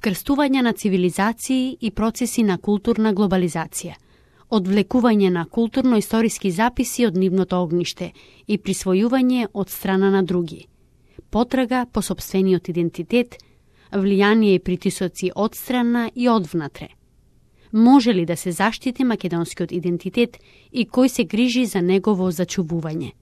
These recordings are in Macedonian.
вкрстување на цивилизации и процеси на културна глобализација, одвлекување на културно-историски записи од нивното огниште и присвојување од страна на други, потрага по сопствениот идентитет, влијание и притисоци од страна и одвнатре. Може ли да се заштити македонскиот идентитет и кој се грижи за негово зачувување?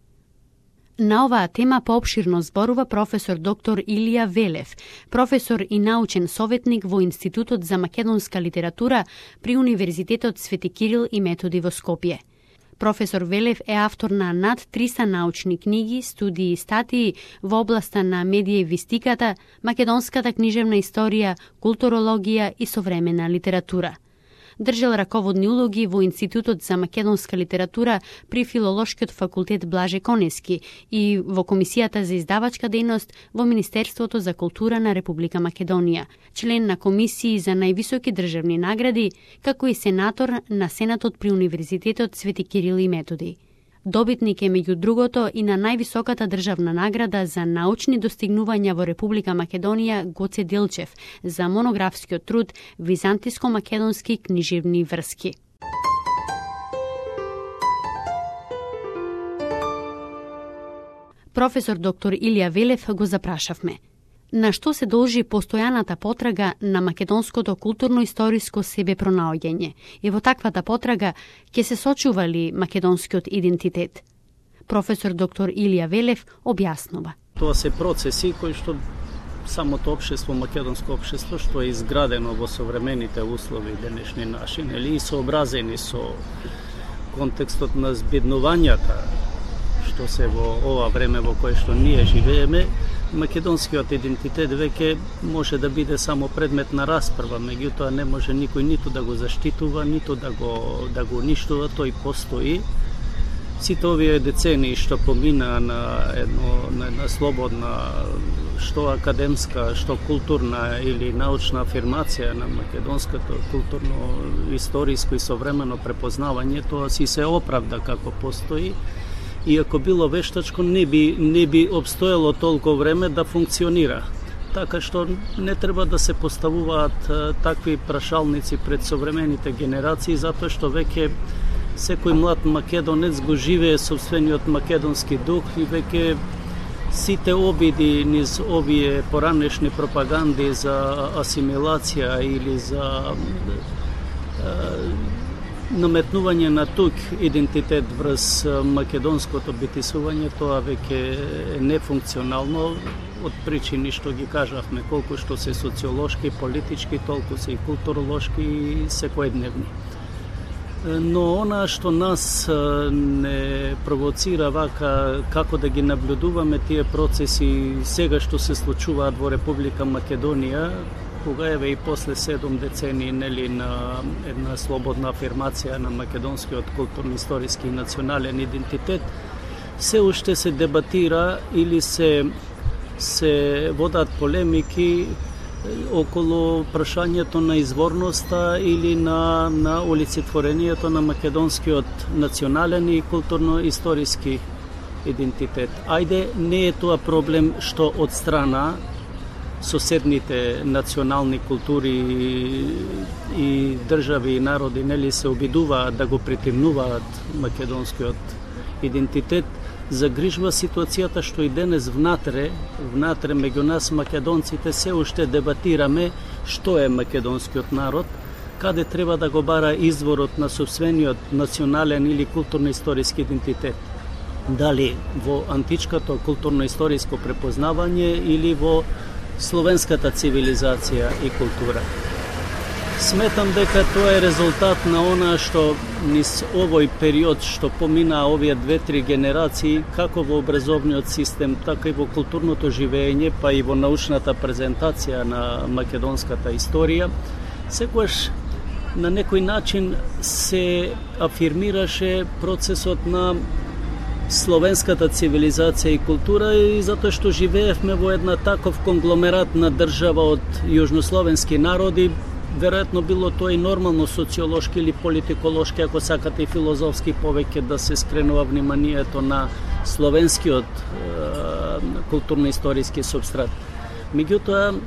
На оваа тема поопширно зборува професор доктор Илија Велев, професор и научен советник во Институтот за македонска литература при Универзитетот Свети Кирил и Методи во Скопје. Професор Велев е автор на над 300 научни книги, студии и статии во областа на медиевистиката, македонската книжевна историја, културологија и современа литература. Држал раководни улоги во Институтот за македонска литература при Филолошкиот факултет Блаже Конески и во Комисијата за издавачка дејност во Министерството за култура на Република Македонија, член на комисии за највисоки државни награди, како и сенатор на Сенатот при Универзитетот Свети Кирил и Методи. Добитник е меѓу другото и на највисоката државна награда за научни достигнувања во Република Македонија Гоце Делчев за монографскиот труд Византиско-македонски книжевни врски. Професор доктор Илија Велев го запрашавме. На што се должи постојаната потрага на македонското културно-историско себепронаоѓање и во таквата потрага ќе се сочува ли македонскиот идентитет? Професор доктор Илија Велев објаснува. Тоа се процеси кои што самото општество, македонско општество, што е изградено во современите услови денешни наши, и сообразени со контекстот на збеднувањата што се во ова време во кое што ние живееме, македонскиот идентитет веќе може да биде само предмет на расправа, меѓутоа не може никој ниту да го заштитува, ниту да го уништува, тој постои. Сите овие децении што помина на една слободна, што академска, што културна или научна афирмација на македонското културно-историско и современо препознавање, тоа си се оправда како постои. И ако било вештачко, не би обстоело толку време да функционира. Така што не треба да се поставуваат такви прашалници пред современите генерации, затоа што веќе секој млад македонец го живее собствениот македонски дух и веќе сите обиди низ овие поранешни пропаганди за асимилација или за наметнување на тук идентитет врз македонското битисување, тоа веќе е нефункционално од причини што ги кажавме, колку што се социолошки, политички, толку се и културолошки и секојдневни. Но она што нас не провоцира вака како да ги наблюдуваме тие процеси сега што се случуваат во Република Македонија, кога еве и после 7 децении на една слободна афирмација на македонскиот културно-историски и национален идентитет, се уште се дебатира или се водат полемики околу прашањето на изворноста или на олицетворението на македонскиот национален и културно-историски идентитет. Ајде, не е тоа проблем што од страна соседните национални култури и држави и народи се обидуваат да го претемнуваат македонскиот идентитет, загрижва ситуацијата што и денес внатре меѓу нас македонците се уште дебатираме што е македонскиот народ, каде треба да го бара изворот на собствениот национален или културно-историски идентитет. Дали во античкото културно-историско препознавање или во словенската цивилизација и култура. Сметам дека тоа е резултат на она што низ овој период што помина овие 2-3 генерации, како во образовниот систем, така и во културното живење, па и во научната презентација на македонската историја, секогаш на некој начин се афирмираше процесот на словенската цивилизација и култура и затоа што живеевме во една таков конгломерат на држава од јужнословенски народи, веројатно било тоа и нормално социолошки или политиколошки, ако сакате и филозофски повеќе да се скренува вниманието на словенскиот културно-историски субстрат. Меѓутоа,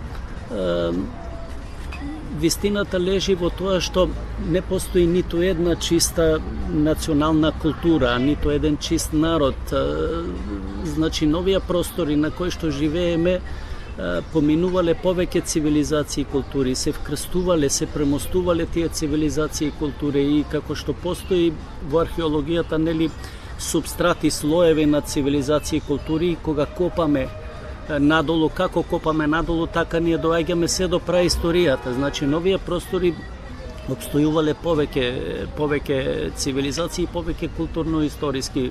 вистината лежи во тоа што не постои ниту една чиста национална култура, ниту еден чист народ. Значи, новија простори на кои што живееме поминувале повеќе цивилизации и култури, се вкрстувале, се премостувале тие цивилизации и култури и како што постои во археологијата, нели, субстрати, слоеви на цивилизации и култури, кога копаме надолу, како копаме надолу, така ние доаѓаме се до праисторијата. Значи, новија простори обстојувале повеќе цивилизации, повеќе културно-историски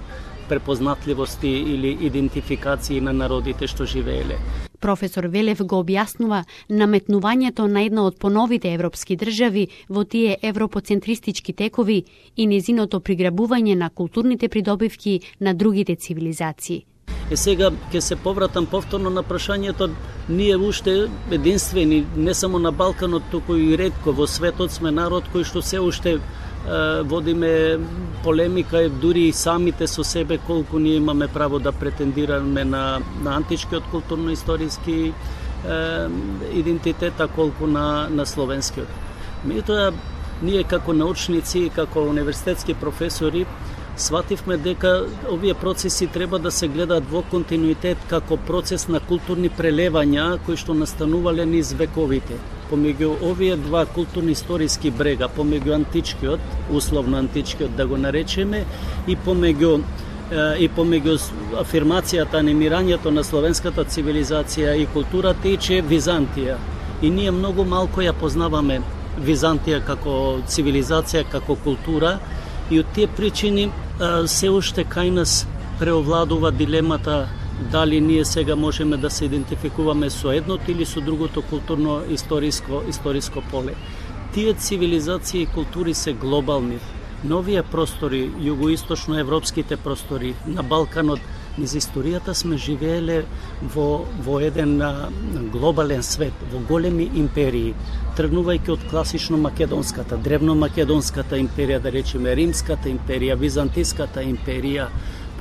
препознатливости или идентификации на народите што живееле. Професор Велев го објаснува наметнувањето на една од поновите европски држави во тие европоцентристички текови и незиното приграбување на културните придобивки на другите цивилизации. Сега ќе се повратам повторно на прашањето. Ние уште единствени, не само на Балканот, туку и ретко во светот сме народ кој што се уште водиме полемика, дури и самите со себе, колку ние имаме право да претендираме на античкиот културно-историски идентитет, а колку на словенскиот. Меѓутоа, ние како научници, како универзитетски професори, свативме дека овие процеси треба да се гледаат во континуитет како процес на културни прелевања кои што настанувале низ вековите. Помеѓу овие два културно-историски брега, помеѓу античкиот, условно античкиот да го наречеме, и помеѓу афирмацијата, анимирањето на словенската цивилизација и култура тече Византија. И ние многу малку ја познаваме Византија како цивилизација, како култура, и од тие причини се уште кај нас преовладува дилемата дали ние сега можеме да се идентификуваме со едното или со другото културно-историско поле. Тие цивилизации и култури се глобални. Новија простори, југоисточно-европските простори, на Балканот, низ историјата сме живееле во еден глобален свет, во големи империи, тргнувајќи од класично македонската, древно-македонската империја, да речеме Римската империја, Византиската империја,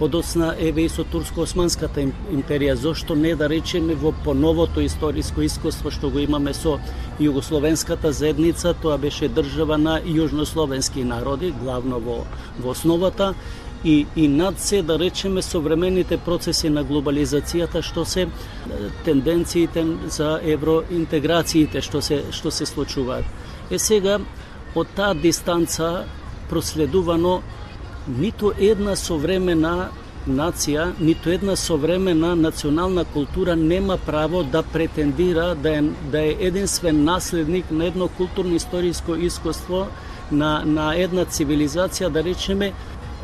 подоцна еве и со Турско-османската империја, зошто не да речеме во поновото историско искуство што го имаме со југословенската заедница, тоа беше држава на јужнословенски народи, главно во основата, и над се, да речеме, современите процеси на глобализацијата, што се тенденциите за евроинтеграциите што се случуваат. Сега, од таа дистанца проследувано, ниту една современа нација, ниту една современа национална култура нема право да претендира да е единствен наследник на едно културно-историско искуство, на една цивилизација, да речеме,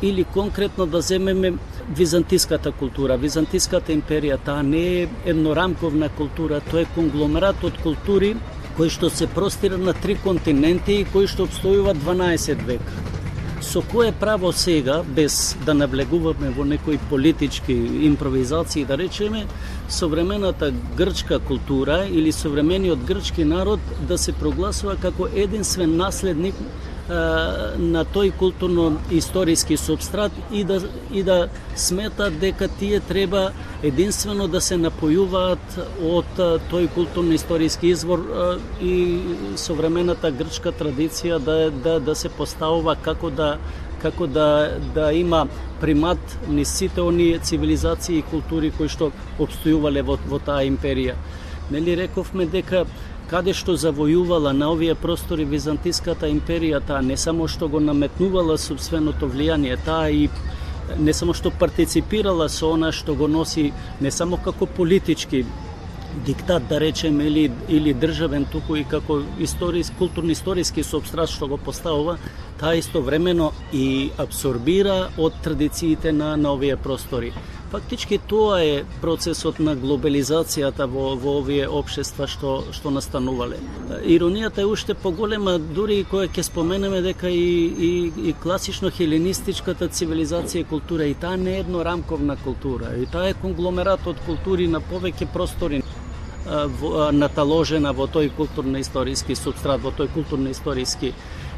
или конкретно да земеме византиската култура, византиската империја. Таа не е еднорамковна култура, тоа е конгломерат од култури кои што се простира на 3 континенти и кои што обстојува 12 века. Со кое право сега, без да навлегуваме во некои политички импровизации, да речеме, современата грчка култура или современиот грчки народ да се прогласува како единствен наследник на тој културно-историски субстрат и да сметат дека тие треба единствено да се напојуваат од тој културно-историски извор и современата грчка традиција да се поставува како да има примат низ сите оние цивилизации и култури кои што обстојувале во таа империја. Нели рековме дека каде што завојувала на овие простори Византиската империја, таа не само што го наметнувала собственото влијание, таа и не само што партиципирала со она што го носи не само како политички диктат, да речеме, или државен, туку и како културно-историски субстрат што го поставува, таа истовремено и абсорбира од традициите на овие простори. Фактички тоа е процесот на глобализацијата во овие општества што настанувале. Иронијата е уште поголема, дури и која ќе споменеме дека и класично хеленистичката цивилизација и култура, и таа не е еднорамковна култура, и таа е конгломерат од култури на повеќе простори наталожена во тој културно-историски субстрат, во тој културно-историски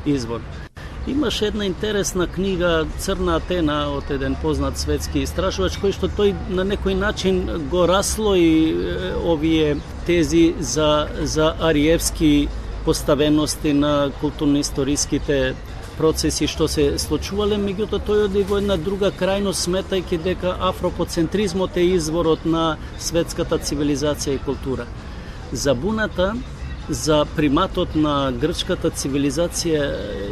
извор. Имаше една интересна книга Црна Атена од еден познат светски истражувач, кој што тој на некој начин го раслои овие тези за ариевски поставености на културно-историските процеси што се случувале, меѓутоа тој оди во една друга крајност, сметајќи дека афропоцентризмот е изворот на светската цивилизација и култура. Забуната за приматот на грчката цивилизација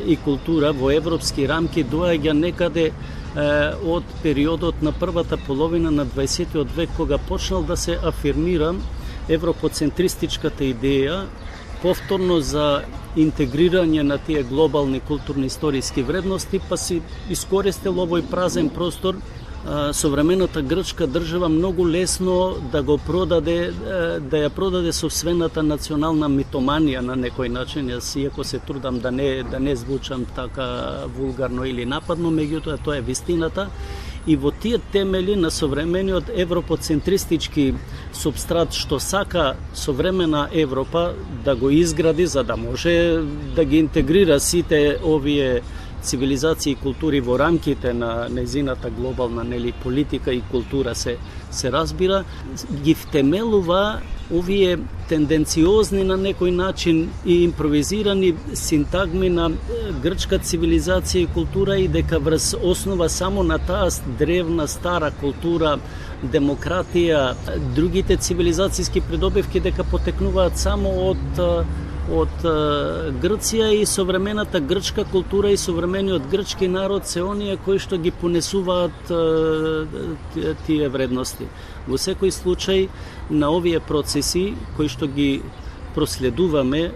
и култура во европски рамки доаѓа некаде од периодот на првата половина на 20 век, кога почнал да се афирмира европоцентристичката идеја, повторно за интегрирање на тие глобални културно-историски вредности, па си искористил овој празен простор современата грчка држава многу лесно да го продаде, да ја продаде собствената национална митоманија на некој начин. Јас иако се трудам да не звучам така вулгарно или нападно, меѓутоа тоа е вистината. И во тие темели на современиот европоцентристички субстрат што сака современа Европа да го изгради за да може да ги интегрира сите овие цивилизации и култури во рамките на незината глобална политика и култура се разбира, ги втемелува овие тенденциозни на некој начин и импровизирани синтагми на грчка цивилизација и култура, и дека врз основа само на таа древна стара култура, демократија, другите цивилизацијски придобивки дека потекнуваат само од Грција, и современата грчка култура и современиот грчки народ се оние кои што ги понесуваат тие вредности. Во секој случај на овие процеси кои што ги проследуваме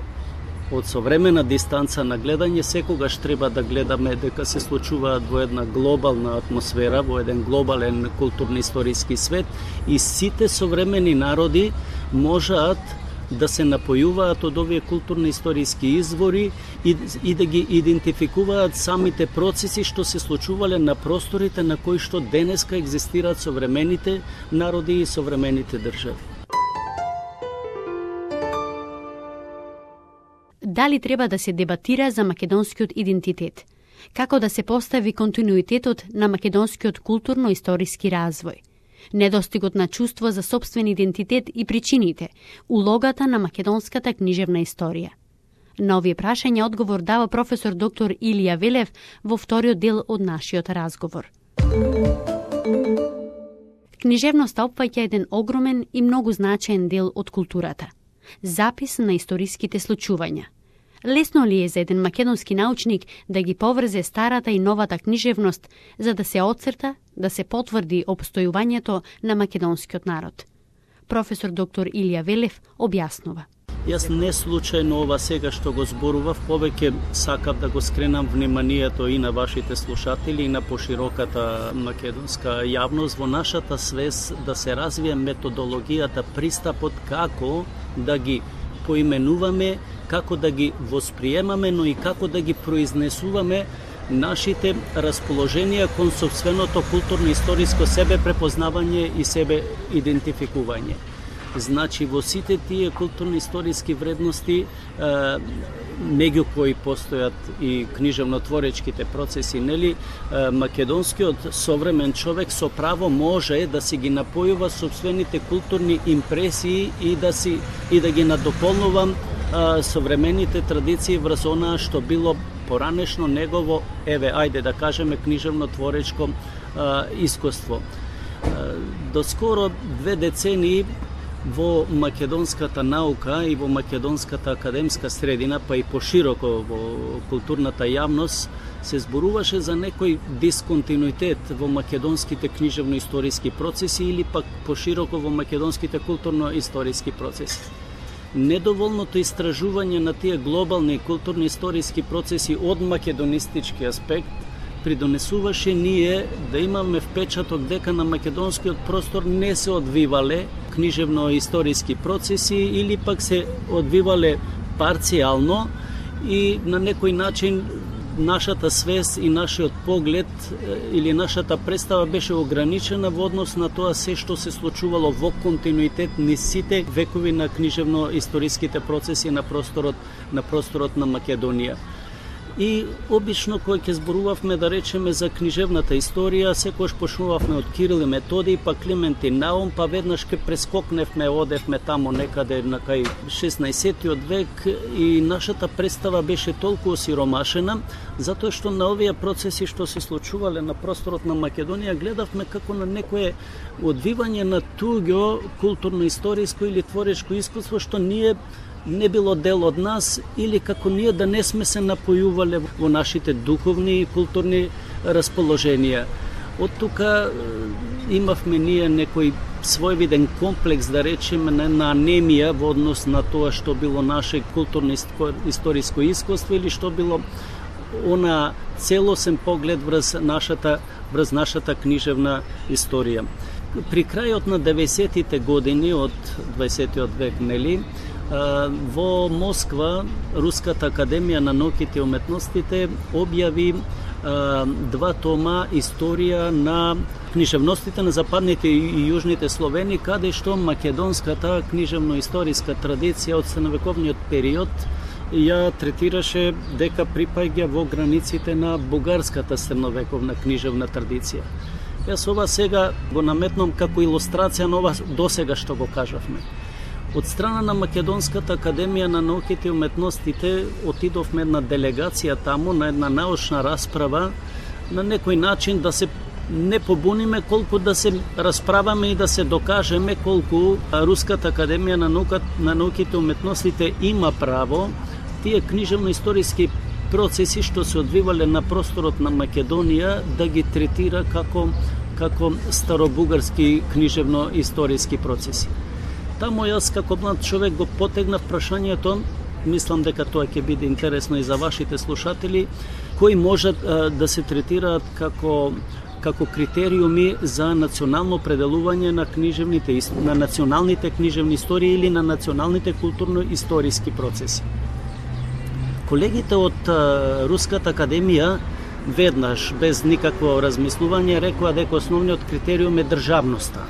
од современа дистанца на гледање, секогаш треба да гледаме дека се случуваат во една глобална атмосфера, во еден глобален културно-историски свет, и сите современи народи можат да се напојуваат од овие културно-историски извори и да ги идентификуваат самите процеси што се случувале на просторите на кои што денеска екзистираат современите народи и современите држави. Дали треба да се дебатира за македонскиот идентитет? Како да се постави континуитетот на македонскиот културно-историски развој? Недостигот на чувство за сопствен идентитет и причините, улогата на македонската книжевна историја. На овие прашања одговор дава професор доктор Илија Велев во вториот дел од нашиот разговор. Книжевноста опфаќа еден огромен и многу значаен дел од културата. Запис на историските случувања. Лесно ли е за еден македонски научник да ги поврзе старата и новата книжевност за да се отцрта, да се потврди опстојувањето на македонскиот народ? Професор доктор Илија Велев објаснува. Јас не случајно ова сега што го зборував, повеќе сакав да го скренам вниманието и на вашите слушатели и на пошироката македонска јавност во нашата свест да се развие методологијата, пристапот како да ги поименуваме, како да ги восприемаме, но и како да ги произнесуваме нашите расположенија кон сопственото културно-историско себе препознавање и себе идентификување. Значи, во сите тие културно-историски вредности, меѓу кои постојат и книжевнотворечките процеси, нели, македонскиот современ човек со право може да си ги напојува сопствените културни импресии и да ги надополнува современите традиции врз онаа што било поранешно негово, ајде да кажеме, книжевно-творечко искуство. Доскоро 2 децении во македонската наука и во македонската академска средина, па и пошироко во културната јавност, се зборуваше за некој дисконтинуитет во македонските книжевно-историски процеси или пак пошироко во македонските културно-историски процеси. Недоволното истражување на тие глобални културно-историски процеси од македонистички аспект придонесуваше ние да имаме впечаток дека на македонскиот простор не се одвивале книжевно-историски процеси или пак се одвивале парцијално и на некој начин нашата свест и нашиот поглед или нашата представа беше ограничена во однос на тоа се што се случувало во континуитет низ сите векови на книжевно-историските процеси на просторот на Македонија. И обично кога ќе зборувавме, да речеме, за книжевната историја, секогаш почнувавме од Кирил и Методий, па Климент и Наум, па веднаш ке прескокневме, одевме тамо некаде на кај 16 век и нашата представа беше толку осиромашена, затоа што на овие процеси што се случувале на просторот на Македонија гледавме како на некое одвивање на туѓо културно-историско или творечко искуство што ние не било дел од нас или како ние да не сме се напојувале во нашите духовни и културни расположенија. Од тука имавме ние некој својвиден комплекс, да речеме, на анемија во однос на тоа што било наше културно-историско искуство или што било она целосен поглед врз нашата книжевна историја. При крајот на 90-тите години од 20 век, нели, во Москва Руската академија на науките и уметностите објави 2 тома историја на книжевностите на западните и јужните Словени, каде што македонската книжевно-историска традиција од средновековниот период ја третираше дека припаѓа во границите на бугарската средновековна книжевна традиција. Јас ова сега го наметнам како илустрација на ова досега што го кажавме. Од страна на Македонската академија на науките и уметностите отидовме на делегација таму на една научна расправа, на некој начин да се не побуниме, колку да се расправаме и да се докажеме колку Руската академија на науките и уметностите има право тие книжевно-историски процеси што се одвивале на просторот на Македонија да ги третира како старобугарски книжевно-историски процеси. Таму јас како млад човек го потегнав прашањето, мислам дека тоа ќе биде интересно и за вашите слушатели, кои можат да се третираат како критериуми за национално определување на националните книжевни истории или на националните културно-историски процеси. Колегите од Руската академија веднаш, без никакво размислување, рекоа дека основниот критериум е државноста.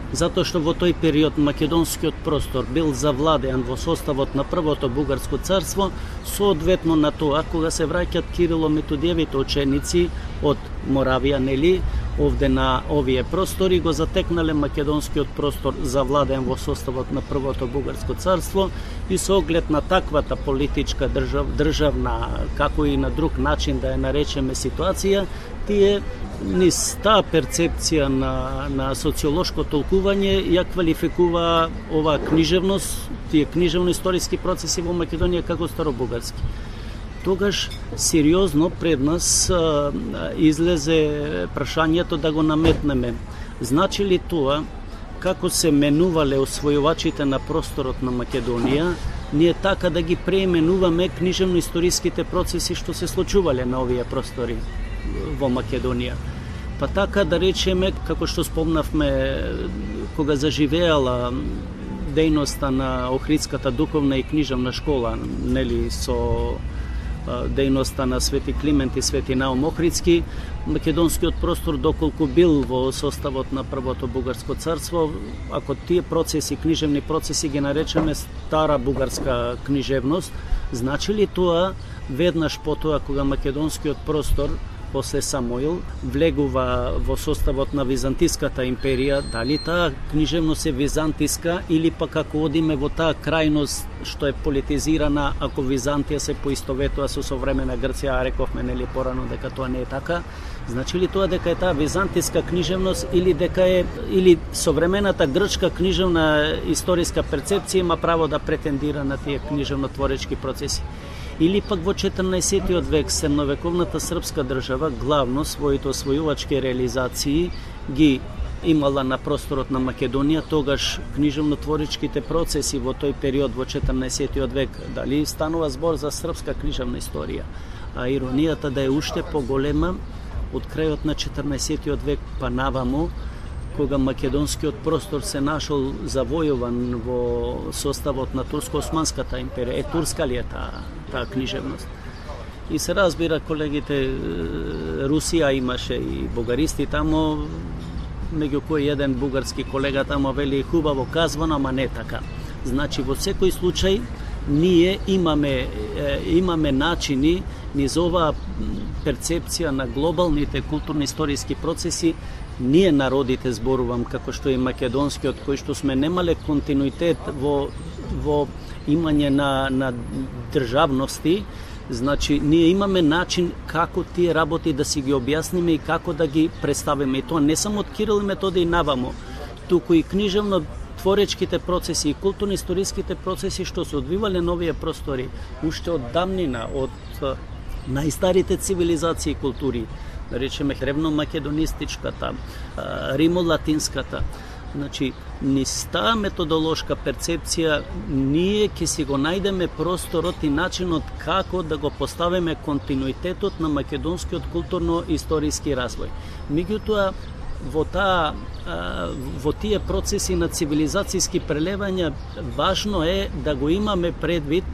Затоа што во тој период македонскиот простор бил завладеан во составот на првото бугарско царство, соодветно на тоа кога се враќат Кирило-Методиевите ученици од Моравија, нели, овде на овие простори, го затекнале македонскиот простор завладен во составот на првото бугарско царство и со оглед на таквата политичка државна, како и на друг начин да ја наречеме ситуација, тие низ таа перцепција на социолошко толкување ја квалификува оваа книжевност, тие книжевно-историски процеси во Македонија како старобугарски. Тогаш сериозно пред нас излезе прашањето да го наметнеме. Значи ли тоа, како се менувале освојувачите на просторот на Македонија, ние така да ги преименуваме книжевно-историските процеси што се случувале на овие простори во Македонија? Па така да речеме, како што спомнавме, кога заживеала дејноста на Охридската духовна и книжевна школа, нели, со дејноста на Свети Климент и Свети Наум Охридски, македонскиот простор доколку бил во составот на првото бугарско царство, ако тие процеси, книжевни процеси ги наречеме стара бугарска книжевност, значи ли тоа веднаш потоа кога македонскиот простор после Самуил влегува во составот на Византиската империја, дали таа книжевност е византиска или пак ако одиме во таа крајност што е политизирана, ако Византија се поистоветува со современа Грција, а рековме нели порано дека тоа не е така, значи ли тоа дека е таа византиска книжевност или современата грчка книжевна историска перцепција има право да претендира на тие книжевно-творечки процеси? Или пак во 14 век средновековната српска држава главно своите освојувачки реализации ги имала на просторот на Македонија, тогаш книжевно-творечките процеси во тој период во 14 век, дали станува збор за српска книжевна историја, а иронијата да е уште поголема од крајот на 14 век па наваму, кога македонскиот простор се нашол завојуван во составот на Турско-османската империја. Турска ли е таа книжевност? И се разбира, колегите, Русија имаше и бугаристи тамо, меѓу кои еден бугарски колега тамо вели хубаво казвано, ама не така. Значи, во секој случај, ние имаме начини низ оваа перцепција на глобалните културно-историски процеси, ние народите, зборувам, како што и македонскиот, кои што сме немале континуитет во имање на државности, значи ние имаме начин како тие работи да си ги објасниме и како да ги представиме. И тоа не само од Кирил и Методиј навамо, туку и книжевно творечките процеси и културно-историските процеси што се одвивале на овие простори уште од давнина, од најстарите цивилизации и култури, да речеме древно-македонистичката, римо-латинската. Значи, низ таа методолошка перцепција ние ќе си го најдеме просторот и начинот како да го поставиме континуитетот на македонскиот културно-историски развој. Меѓутоа, во тие процеси на цивилизацијски прелевања важно е да го имаме предвид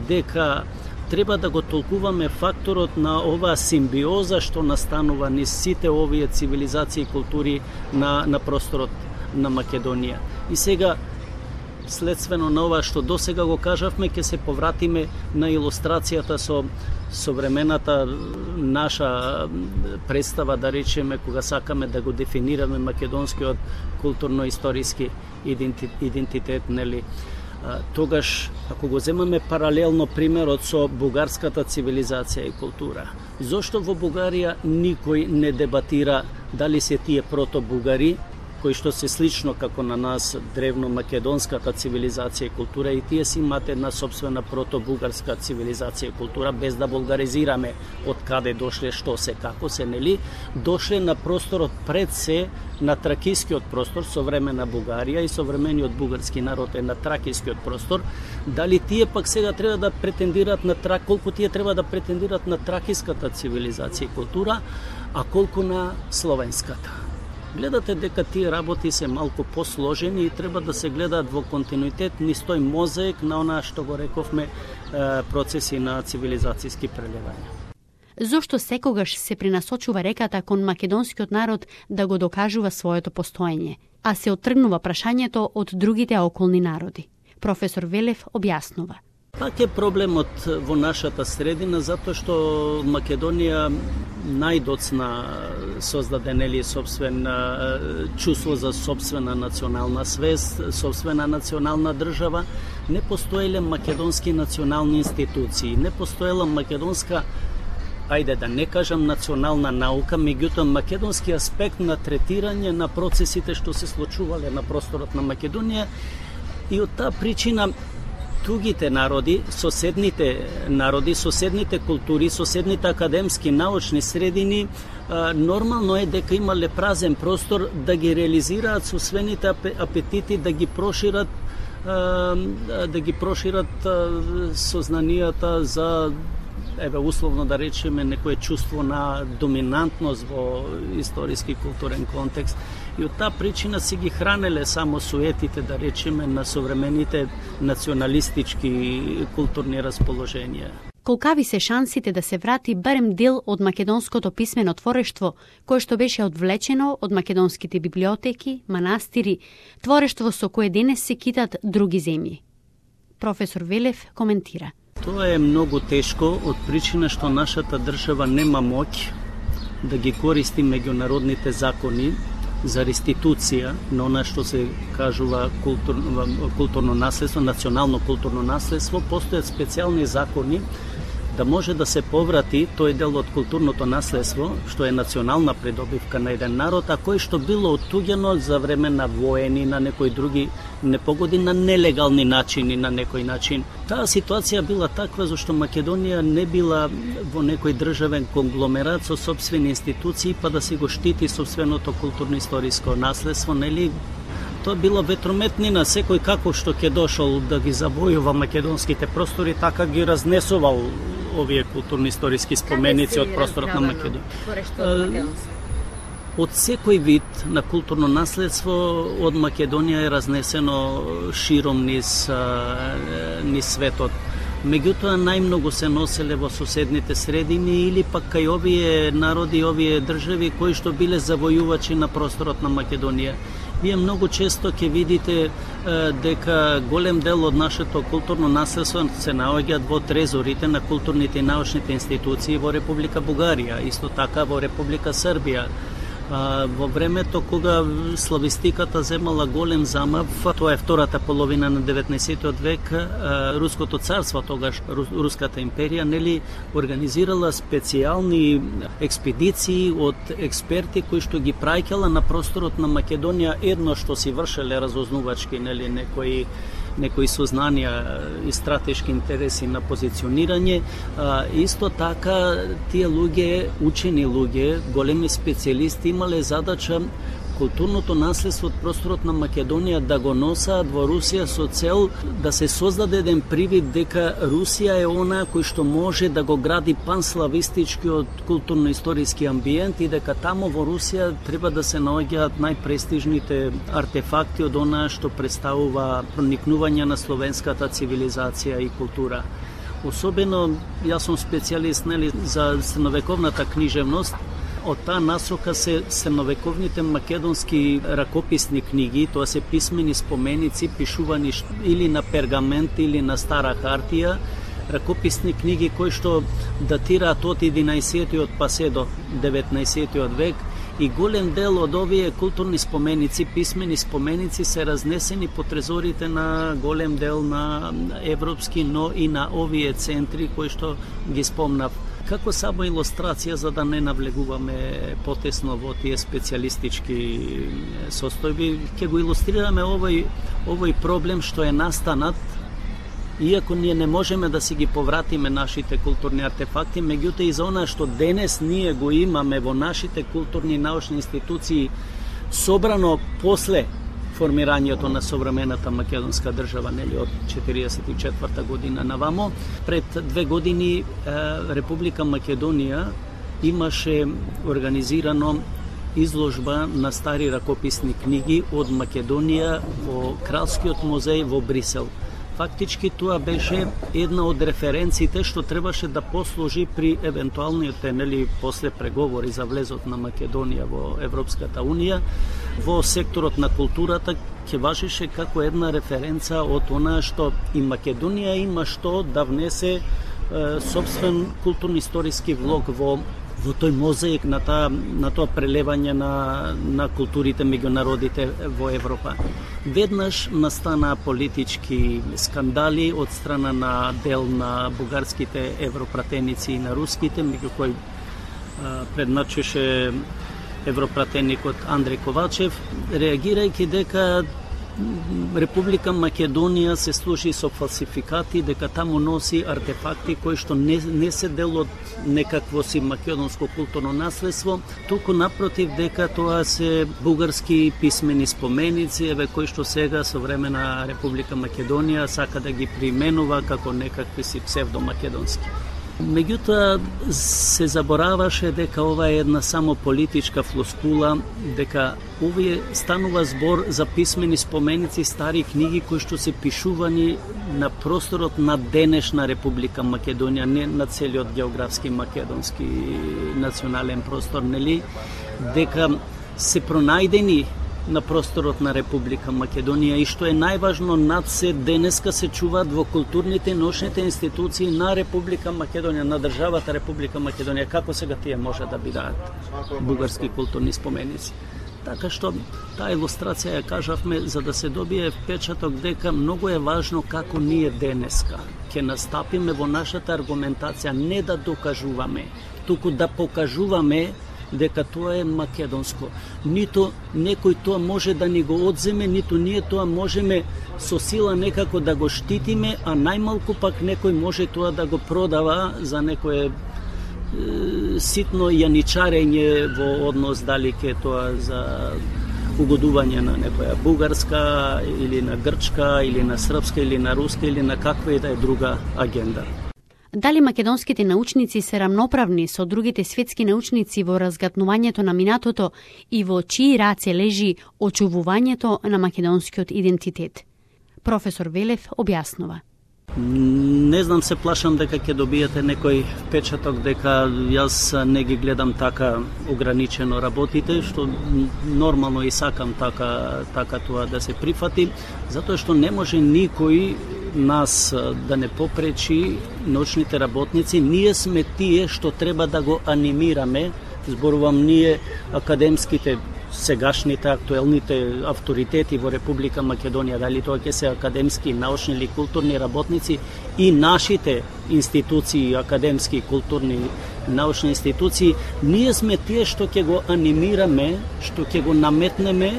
дека треба да го толкуваме факторот на оваа симбиоза што настанува низ сите овие цивилизации и култури на просторот на Македонија. И сега, следствено на ова што досега го кажавме, ќе се повратиме на илустрацијата со современата наша представа, да речеме, кога сакаме да го дефинираме македонскиот културно-историски идентитет, нели? Тогаш, ако го земаме паралелно примерот со бугарската цивилизација и култура, зошто во Бугарија никој не дебатира дали се тие протобугари, кои што се слично како на нас древно-македонската цивилизација и култура, и тие си имаат една собствена протобугарска цивилизација и култура, без да булгаризираме од каде дошле, што се, како се, нели? Дошле на просторот пред се на тракискиот простор, современа Бугарија и современиот бугарски народ е на тракискиот простор. Дали тие пак сега треба да претендираат на колку тие треба да претендираат на тракиската цивилизација и култура, а колку на словенската? Гледате дека тие работи се малку посложени и треба да се гледаат во континуитет низ тој мозаик на онаа што го рековме процеси на цивилизацијски прелевања. Зошто секогаш се принасочува реката кон македонскиот народ да го докажува своето постоење, а се оттргнува прашањето од другите околни народи? Професор Велев објаснува. Пак е проблемот во нашата средина, затоа што Македонија најдоцна создаде, нели, собствен чувство за собствена национална свест, собствена национална држава. Не постоеле македонски национални институции, не постоела македонска, ајде да не кажам национална наука, меѓутоа македонски аспект на третирање на процесите што се случувале на просторот на Македонија, и од таа причина другите народи, соседните култури, соседните академски научни средини, нормално е дека имале празен простор да ги реализираат собствените апетити, да ги прошират сознанијата за, условно да речеме, некое чувство на доминантност во историски културен контекст. И од таа причина си ги хранеле само суетите, да речеме, на современите националистички културни расположенија. Колкави се шансите да се врати барем дел од македонското писмено творештво, кое што беше одвлечено од македонските библиотеки, манастири, творештво со кое денес се китат други земји? Професор Велев коментира. Тоа е многу тешко од причина што нашата држава нема моќ да ги користи меѓународните закони за реституција на она што се кажува културно наследство, национално културно наследство. Постојат специјални закони да може да се поврати тој дел од културното наследство, што е национална придобивка на еден народ, а кој што било оттуѓено за време на воени, на некои други непогоди, на нелегални начини, на некој начин. Таа ситуација била таква зашто Македонија не била во некој државен конгломерат со собствени институции, па да си го штити собственото културно-историско наследство, нели? Тоа била ветрометнина, секој како што ќе дошол да ги завојува македонските простори, така ги разнесувал овие културно-историски споменици од просторот на Македонија. Од секој вид на културно наследство од Македонија е разнесено широм низ светот. Меѓутоа најмногу се носеле во соседните средини или пак кај овие народи, овие држави кои што биле завојувачи на просторот на Македонија. Вие многу често ќе видите дека голем дел од нашето културно наследство се наоѓаат во трезорите на културните и научните институции во Република Бугарија, исто така во Република Србија. Во времето кога славистиката земала голем замав, тоа е втората половина на 19 век, Руското царство, тогаш Руската империја, организирала специјални експедиции од експерти кои што ги праќала на просторот на Македонија, едно што си вршеле разузнувачки, некои сознанија и стратешки интереси на позиционирање. Исто така, тие луѓе, учени луѓе, големи специјалисти, имале задача културното наследство од просторот на Македонија да го носаат во Русија со цел да се создаде еден привид дека Русија е она кој што може да го гради панславистичкиот културно-историски амбиент и дека тамо во Русија треба да се наоѓаат најпрестижните артефакти од она што представува проникнување на словенската цивилизација и култура. Особено, јас сум специјалист за средновековната книжевност. Од таа насока се средновековните македонски ракописни книги, тоа се писмени споменици, пишувани или на пергамент или на стара хартија, ракописни книги кои што датираат од 11-тиот па се до 19-тиот век, и голем дел од овие културни споменици, писмени споменици се разнесени по трезорите на голем дел на европски, но и на овие центри кои што ги спомнав. Како само илустрација, за да не навлегуваме потесно во тие специјалистички состојби, ќе го илустрираме овој проблем што е настанат, иако ние не можеме да си ги повратиме нашите културни артефакти, меѓутоа и за она што денес ние го имаме во нашите културни и научни институции собрано после формирањето на современата македонска држава, од 1944 година навамо. Пред 2 години Република Македонија имаше организирано изложба на стари ракописни книги од Македонија во Кралскиот музеј во Брисел. Фактички тоа беше една од референциите што требаше да послужи при евентуалните после преговори за влезот на Македонија во Европската Унија. Во секторот на културата ќе важеше како една референца од она што и Македонија има што да внесе собствен културно-историски влог во тој мозаик на тоа прелевање на културите меѓу народите во Европа. Веднаш настана политички скандали од страна на дел на бугарските европратеници и на руските, меѓу кои предначеше европратеникот Андреј Ковачев, реагирајќи дека Република Македонија се служи со фалсификати, дека таму носи артефакти кои што не се дел од некакво си македонско културно наследство, туку напротив дека тоа се бугарски писмени споменици, кои што сега современа Република Македонија сака да ги применува како некакви си псевдомакедонски. Меѓутоа се забораваше дека ова е една само политичка флоскула, дека овие станува збор за писмени споменици, стари книги кои што се пишувани на просторот на денешна Република Македонија, не на целиот географски македонски национален простор, дека се пронајдени на просторот на Република Македонија и што е најважно, над се денеска се чуваат во културните и научните институции на Република Македонија, на државата Република Македонија. Како сега тие може да бидат бугарски културни споменици? Така што таа илустрација ја кажавме за да се добие впечаток дека многу е важно како ние денеска ќе настапиме во нашата аргументација, не да докажуваме, туку да покажуваме дека тоа е македонско. Ниту некој тоа може да ни го одземе, ниту ние тоа можеме со сила некако да го штитиме, а најмалку пак некој може тоа да го продава за некое ситно јаничарење во однос дали ке тоа за угодување на некоја бугарска или на грчка или на српска или на руска или на каква и да е друга агенда. Дали македонските научници се рамноправни со другите светски научници во разгатнувањето на минатото и во чии раце лежи очувувањето на македонскиот идентитет? Професор Велев објаснува. Не знам, се плашам дека ќе добиете некој печаток дека јас не ги гледам така ограничено работите, што нормално и сакам така тоа да се прифати, затоа што не може никој нас да не попречи научните работници. Ние сме тие што треба да го анимираме, зборувам ние академските, сегашните, актуелните авторитети во Република Македонија, дали тоа ќе се академски, научни или културни работници и нашите институции, академски, културни, научни институции, ние сме тие што ќе го анимираме, што ќе го наметнеме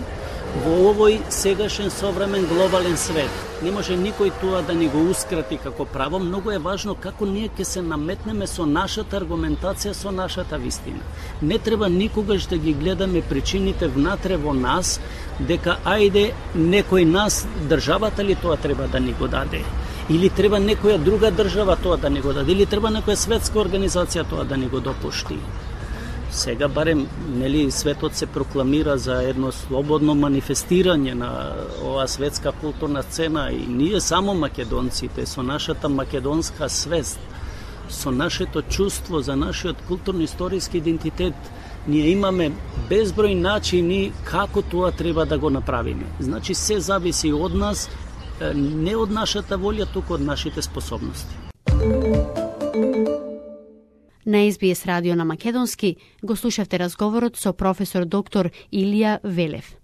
во овој сегашен современ глобален свет. Не може никој тоа да ни го ускрати како право. Многу е важно како ние ќе се наметнеме со нашата аргументација, со нашата вистина. Не треба никогаш да ги гледаме причините внатре во нас, дека ајде некој нас, државата ли тоа треба да ни го даде, или треба некоја друга држава тоа да ни го даде, или треба некоја светска организација тоа да ни го допушти. Сега барем, нели, светот се прокламира за едно слободно манифестирање на оваа светска културна сцена и ние само македонците со нашата македонска свест, со нашето чувство за нашиот културно-историски идентитет, ние имаме безброј начини како тоа треба да го направиме. Значи се зависи од нас, не од нашата волја, туку од нашите способности. На SBS радио на македонски го слушавте разговорот со професор доктор Илија Велев.